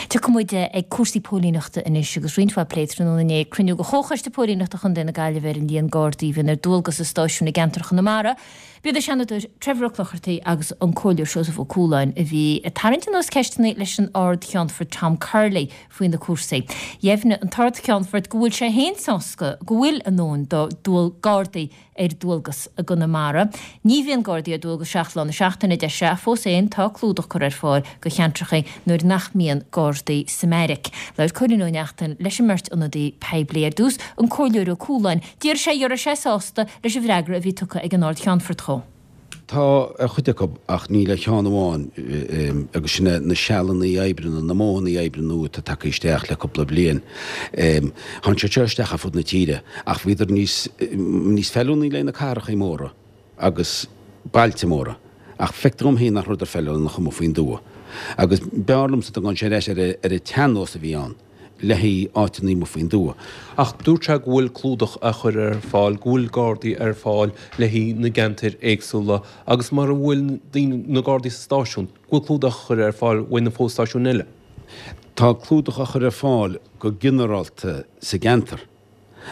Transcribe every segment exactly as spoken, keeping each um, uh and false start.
Tiocfaidh muid ag cúrsaí póilíneachta anois agus roinnt mhaith plé tráthnóna inné cruinniú de Chomhchoiste Póilíneachta Chontae na Gaillimhe ar an líon Gardaí a bhíonn ar dualgas i stáisiúin i gceantar Chonamara. B'iad an Seanadóir Trevor Ó Clochartaigh agus an Comhairleoir Seosamh Ó Cualáin a bhí ag tarraingt anuas ceisteanna leis an Ard-Cheannfort Tom Curley faoi na cúrsaí. Dheimhnigh an tArd-Cheannfort go bhfuil sé féin sásta go bhfuil a ndóthain do Gardaí ar dualgas i gConamara. Ní bhíonn Gardaí ar dualgas seacht lá na seachtaine, a deir sé, ach fós féin tá clúdach curtha ar fáil do cheantracha nuair nach mbíonn Gardaí sa mbeairic. Labhair Cóilín Ó Neachtain leis an mbeirt ionadaí poiblí ar dtús, an Comhairleoir Ó Cualáin. D'iarr sé an raibh sé sásta leis an bhfreagra a bhí tugtha ag an Ard-Cheannfort dhó. Tá ar chuid acu ach níl ar cheann amháin agus sin é na sealanna oibre nó na modhanna oibre nua atá tagtha isteach le cúpla bliain. Tháinig siad seo isteach ar fud na tíre ach bhíodar níos níos feiliúnaí le na cathracha móra agus bailte móra ach feictear dom féin nach rabhadar feiliúnach amuigh faoin dtuath. Agus b'fhearr liomsa dá ngabhadh sé ar ais ar an tsean-nós a bhí ann. le haghaidh áiteanna amuigh faoin dtuath. Ach dúirt sé go bhfuil clúdach á chur ar fáil, go bhfuil Gardaí ar fáil le haghaidh na gceantair éagsúla agus mura bhfuil daoine, na Gardaí sa stáisiún, go bhfuil clúdach á chur ar fáil uaidh na fo-stáisiúin eile. Tá clúdach á chur ar fáil go ginearálta sa gceantar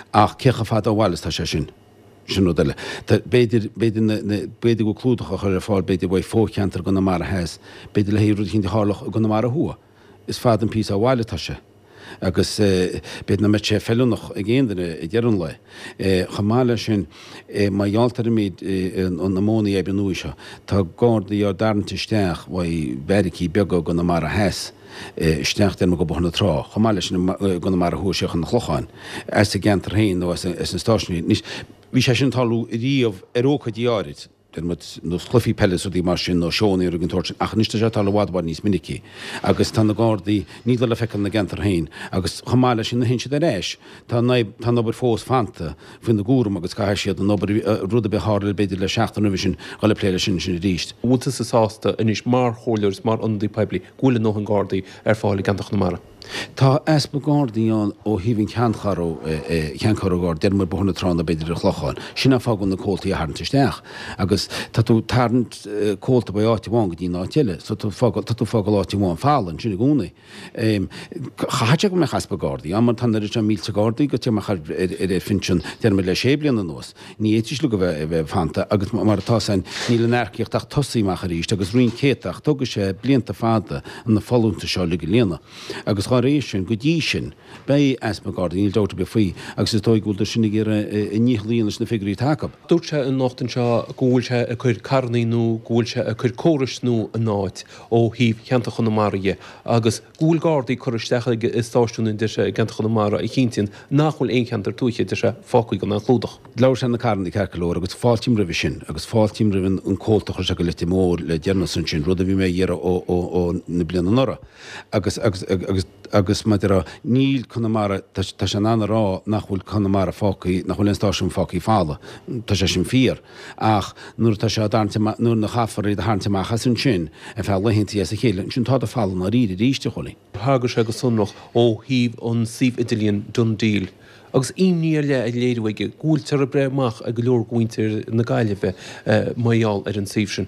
ach cé chomh fada ó bhaile is atá sé sin? Sin rud eile. B'fhéidir, b'fhéidir na, na, b'fhéidir go bhfuil clúdach á chur ar fáil b'fhéidir uaidh fo-cheantar i gConamara Theas, b'fhéidir le haghaidh rud eicínt a tharlódh i gConamara Thuaidh. Is fada an píosa ó bhaile atá sé agus b'fhéidir nach mbeadh sé feiliúnach ag aon duine ag deireadh an lae. Chomh maith leis sin, mar gheall ar an méid, na modhanna oibre nua seo, tá Gardaí á dtarraingt isteach uaidh beairicí beaga i gConamara Theas isteach déarfainn go Bóthar na Trá, chomh maith leis sin i gConamara Thuaidh siar chun an Chlocháin, as an gceantar féin nó as an stáisiún féin. Anois, bhí sé sin ag tarlú riamh ar ócáidí áirid. Deir muid, nós cluichí peile is rudaí mar sin, nó seónna rudaí den tsórt sin, ach anois tá sé ag tarlú i bhfad i bhfad níos minicí agus tá na Gardaí, níl le feiceáil ina gceantar féin agus chomh maith leis sin nuair a théann siad ar ais, tá an tá an obair fós fanta faoina gcúram agus caithfidh siad an obair, rud ar bith a tharla b'fhéidir le seachtain roimhe sin, dhul ag plé leis sin ansin arís. Bhfuil tusa sásta anois mar chomhairleoir is mar ionadaí poiblí go bhfuil a ndóthain Gardaí ar fáil i gceantar Chonamara? Tá easpa Gardaí ann ó thaobh an cheanncheathrú, cheanncheathrú Garda, deir muid Bóthar na Trá nó b'fhéidir an Clochán. Sin an fáth go bhfuil na comhaltaí á tharraingt isteach. Agus tá tú ag tarraingt comhalta ó áit amháin go dtí an áit eile. So tá tú ag fágáil áit amháin folamh ansin i gcónaí. Chaithfeadh sé go mbeadh easpa Gardaí ann mar tá an oiread seo mílte Gardaí gaibhte amach ar ar phinsean, deir muid le sé bliana anuas. Ní fhéadfaidís uilig a bheith fanta agus mar atá san níl an earcaíocht ach tosaithe amach arís agus roinnt céadta ach tógfaidh sé blianta fada na folúntais seo uilig a líonadh. Agus dá réir sin, go dtí sin, beidh easpa Gardaí, níl dabht ar bith faoi, agus is dóigh go bhfuil sin ag iarraidh a ndícheall a dhéanamh leis na figiúirí atá acu. Dúirt sé anocht anseo go bhfuil sé ag cur carrannaí nua, go bhfuil sé ag cur córais nua in áit ó thaobh cheantar Chonamara dhe agus go bhfuil Gardaí curtha isteach aige i stáisiúin, a deir sé, i gceantar Chonamara a chinntíonn nach bhfuil aon cheantar tuaithe, a deir sé, fágtha gan aon chlúdach. Labhair sé na carrannaí ceart go leor agus fáiltím roimhe sin agus fáiltím roimh an comhalta a chuir sé go Leitir Móir le deireanas ansin, rud a bhí mé ag iarraidh ó ó ó na bliana anuraidh. Agus agus agus agus mar a déarfá níl Conamara, tá tá sé in ann a rá nach bhfuil Conamara fágtha, nach bhfuil aon stáisiún fágtha folamh. Tá sé sin fíor. Ach nuair atá sé á dtarraingt amach, nuair a chaithfear iad a tharraingt amach as ansin ar feadh laethanta as a chéile, ansin tádar folamh i ndáiríre arís, a Chóilín. Thagair sé go sonrach ó thaobh an suíomh idirlíon DoneDeal agus imní ar leith á léiriú aige go bhfuiltear ag breith amach ag go leor de mhuintir na Gaillimhe mar gheall ar an suíomh sin.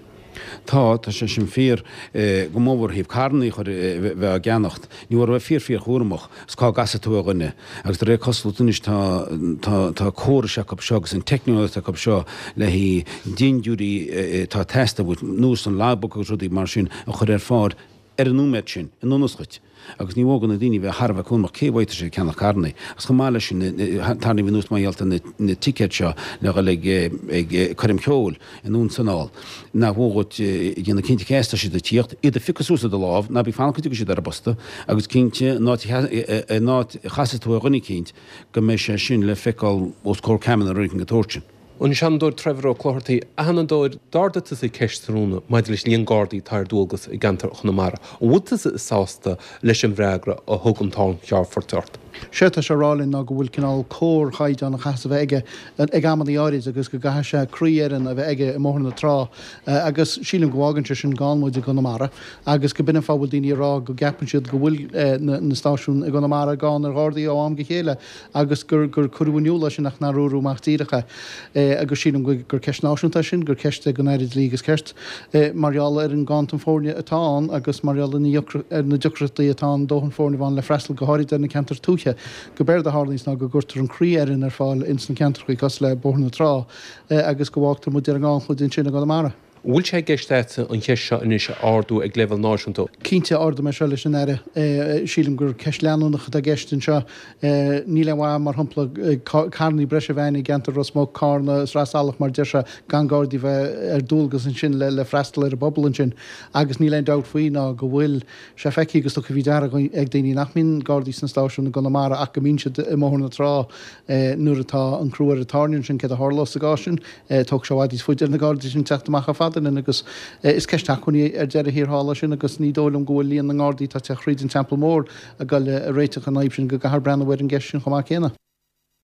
Tá, tá sé sin fíor, go mór mhór ó thaobh carrannaí a chur, bheith á gceannacht. Ní mór a bheith fíor fíor chúramach is cá gcasfaidh tú ar dhuine. Agus de réir cosúlachta anois tá, tá, tá córais acu seo agus an teicneolaíocht acu seo le haghaidh dintiúirí atá ag teastáil uait, nós an logbook agus rudaí mar sin a chur ar fáil ar an nóiméad sin, in ionas dhuit. Agus ní mhór do na daoine bheith thar a bheith cúramach cé uaidh atá siad ag ceannach carrannaí. Agus chomh maith leis sin, tarraingím anuas mar gheall ar na ticéid seo le dhul ag ag coirm cheoil anonn is anall. Nach mhór dhuit déanamh cinnte cé as atá siad ag tíocht, iad a phiocadh suas i do lámh, ná bí ag fanacht go dtiocfaidh siad ar an bposta, agus cinnte an áit an áit a chasfaidh tú ar dhuine eicínt go mbeidh sé sin le feiceáil os comhair ceamara nó rud éigin den tsórt sin. An Seanadóir Trevor Ó Clochartaigh, A Sheanadóir, d'ardaigh tusa ceist tráthnóna maidir leis an líon Gardaí atá ar dualgas i gceantar Chonamara. An bhfuil tusa sásta leis an bhfreagra a thug an tArd-Cheannfort ort? Séard tá sé a rá linn ná go bhfuil cineál cóir chaighdeán a chaithfeas a bheith aige ag amannaí áirid agus go gcaithfidh sé croífhoireann a bheith aige i mBóthar na Trá agus sílim go bhfágann sé sin gann muid i gConamara agus go b'in an fáth a bhfuil daoine ag rá go gceapann siad go bhfuil na stáisiúin i gConamara gann ar Ghardaí ó am go chéile agus gur gur cuireadh in iúl é sin ach nár dúradh amach díreach é agus sílim gur ceist náisiúnta é sin, gur ceist é don Aire Dlí agus Cirt mar gheall ar an nganntan foirne atá ann agus mar gheall ar na deacrachtaí atá ann dóthain foirne a bheith ann le freastal go háirid ar na ceantair tuaithe, gurb éard a tharlaíonns ná go gcuirtear an croífhoireann ar fáil ins na ceantrachaí cosúil le Bóthar na Trá agus go bhfágtar muid ar an ngannchuid ansin i gConamara. An bhfuil sé i gceist agatsa an cheist seo anois a ardú ag leibhéal náisiúnta? Cinnte, ardóidh mé seo leis an Aire. Sílim gur ceist leanúnach atá i gceist anseo. Níl aon mhaith, mar shampla, carrannaí breise a bheith ann i gceantar Ros Muc, Carna, Sraith Salach, mar deir sé, gan Gardaí bheith ar dualgas ansin le freastal ar an bpobal ansin. Agus níl aon dabht faoi ná go bhfuil sé feicthe agus tugtha faoi deara ag daoine nach mbíonn Gardaí sna stáisiúin i gConamara ach go mbíonn siad i mBóthar na Trá nuair atá an crú ar an tairne ansin. Céard a tharlós sa gcás sin? Tógfaidh sé i bhfad níos faide ar na Gardaí sin teacht amach chomh fada linn agus is ceist acmhainní ar deireadh thiar thall é sin agus ní dóigh liom go bhfuil líon na nGardaí atá ag teacht thríd an Teampall Mór ag goil a réiteach an fhadhb sin go gcaithfear breathnú ar an gceist sin chomh maith céanna.